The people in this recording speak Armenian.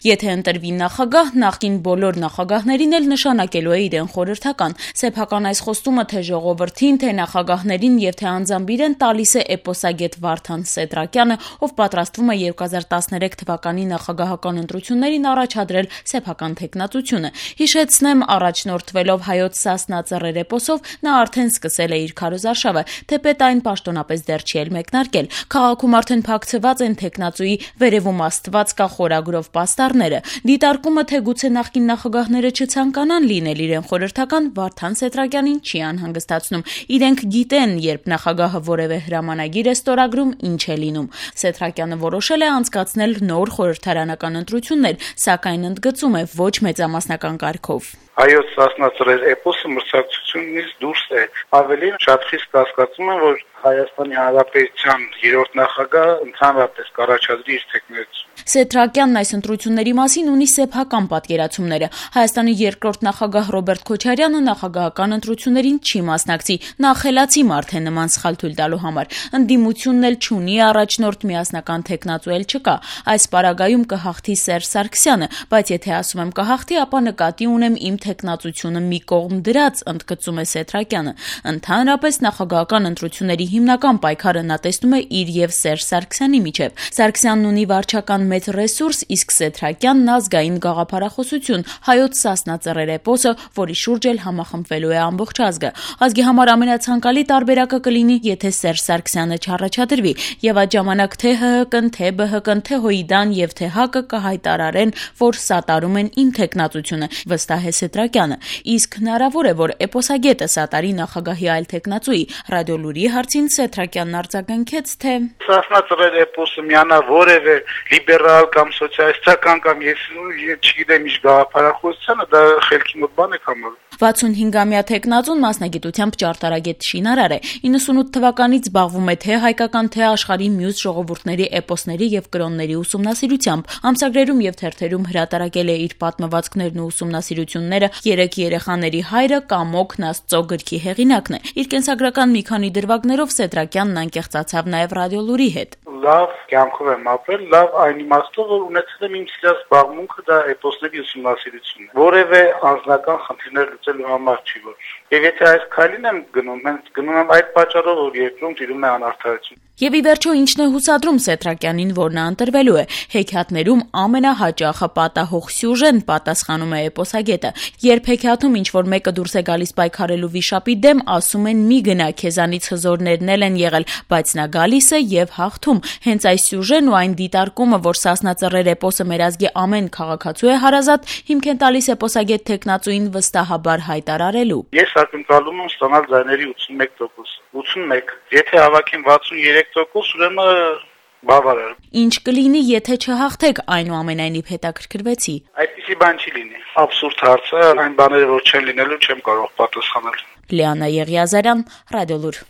Եթե ընտրվի նախագահ, նախկին բոլոր նախագահներին էլ նշանակելու է իրեն խորհրդական։ Սեփական այս խոստումը թե ժողովրդին, թե նախագահներին եւ թե անձամբ իրեն տալիս է էպոսագետ Վարդան Սեդրակյանը, ով պատրաստվում է 2013 թվականի նախագահական ընտրություններին առաջադրել սեփական թեկնածությունը։ Հիշեցնեմ, առաջնորդվելով հայոց Սասնա Ծռեր էպոսով, նա արդեն սկսել է իր քարոզարշավը, թեպետ այն պաշտոնապես դեռ չի էլ մեկնարկել։ Քաղաքում արդեն փակցված են թեկնածուի «Վերևում Աստված կա» խորագրով պաստառները։ Դիտարկումը, թե գուցե նախկին նախագահները չցանկանան լինել իրեն խորհրդական, Վարդան Սեդրակյանին չի անհանգստացնում։ Իրենք գիտեն, երբ նախագահը որևէ հրամանագիր է ստորագրում, ինչ է լինում։ Սեդրակյանը որոշել է անցկացնել նոր խորհրդարանական ընտրություններ, սակայն ընդգծում է ոչ մեծամասնական կարգով։ Հայոց Սասնա Ծռեր էպոսը մրցակցությունից դուրս է։ Ավելի շատ խիստ կասկածում եմ, որ Հայաստանի Հանրապետության 3-րդ նախագահը ընդհանրապես կառաջադրի իր թեկնածությունը։ Սեդրակյանն այս ընտրությունների մասին ունի սեփական պատկերացումները։ Հայաստանի 2-րդ նախագահ Ռոբերտ Քոչարյանը նախագահական ընտրություններին չի մասնակցի, նա խելացի մարդ է նման սխալ թույլ տալու համար։ Ընդդիմությունն էլ չունի առաջնորդ, միասնական թեկնածու էլ չկա։ Այս պարագայում կհաղթի Սերժ Սարգսյանը, բայց եթե ասում եմ կհաղթի, ապա նկատի ունեմ իմ թեկնածությունը մի կողմ դրած, ընդգծում է Սեդրակյանը։ Ընդհանրապես նախագահական ընտրությունների հիմնական պայքարը նա տեսնում է իր եւ Սերժ Սարգսյանի միջեւ։ Սարգսյանն ունի վարչական մեծ ռեսուրս, իսկ Սեդրակյանն ազգային գաղափարախոսություն, հայոց Սասնա Ծռեր էպոսը, որի շուրջ էլ համախմբվելու է ամբողջ ազգը։ Ազգի համար ամենացանկալի տարբերակը կլինի, եթե Սերժ Սարգսյանը չառաջադրվի, եւ այդ ժամանակ թե ՀՀԿ-ն, թե ԲՀԿ-ն, թե ՀՅԴ-ն եւ թե ՀԱԿ-ը կհայտարարեն, որ սատարում են իմ թեկնածությունը, վստահ է Սեդրակյանը։ Իսկ հնարավոր է, որ էպոսագետը սատարի նախագահի այլ թեկնածուի։ Ռադիոլուրի հարցին Սեդրակյանն արձագանքեց, թե Սասնա Ծռեր էպոսը միանա որևէ լիբերալ կամ սոցիալիստական կամ ես չգիտեմ ինչ գաղափարախոսությանը, դա խելքի մոտ բան է համարում։ 65-ամյա թեկնածուն մասնագիտությամբ ճարտարագետ շինարար է։ 98 թվականից զբաղվում է թե հայկական, թե աշխարհի մյուս ժողովուրդների էպոսների եւ կրոնների ուսումնասիրությամբ։ Ամսագրերում եւ թերթերում հրատարակել է իր պատմվածքներն ու ուսումնասիրությունները։ 3 երեխաների հայրը Կամոքն Աստծո գրքի հեղինակն է։ Իր կենսագրական մի քանի դրվագներով Սեդրակյանն անկեղծացավ նաեւ Ռադիոլուրի հետ։ Լավ կյանքով եմ ապրել, լավ այն իմաստով, որ ունեցել եմ իմ սիրած զբաղմունքը, դա էպոսների ուսումնասիրությունն է։ Որևէ անձնական խնդիրներ լուծելու համար չի որ։ Եվ եթե այս քայլին եմ գնում, հենց գնում եմ այդ պատճառով, որ երկրում տիրում է անարդարություն։ Եվ ի վերջո ինչն է հուսադրում Սեդրակյանին, որ նա ընտրվելու է։ Հեքիաթներում ամենահաճախը պատահող սյուժեն, պատասխանում է էպոսագետը։ Երբ հեքիաթում ինչ-որ մեկը դուրս է գալիս պայքարելու վիշապի դեմ, ասում են՝ մի գնա, քեզանից հզորներն էլ են եղել, բայց նա գալիս է եւ հաղթում։ Հենց այս սյուժեն ու այն դիտարկումը, որ Սասնա Ծռեր էպոսը մեր ազգի ամեն քաղաքացու է հարազատ, հիմք են տալիս էպոսագետ թեկնածուին վստահաբար հայտարարելու։ Ես ակնկալում եմ ստանալ ձայների 81%։ 81։ Եթե հավաքեմ 63%, ուրեմն բավարար։ Ինչ կլինի, եթե չհաղթեք, այնուամենայնիվ հետաքրքրվեցի։ Այդպիսի բան չի լինի։ Աբսուրդ հարց է, այն բաները, որ չեն լինելու, չեմ կարող պատասխանել։ Լիանա Եղիազարյան, Ռադիոլուր։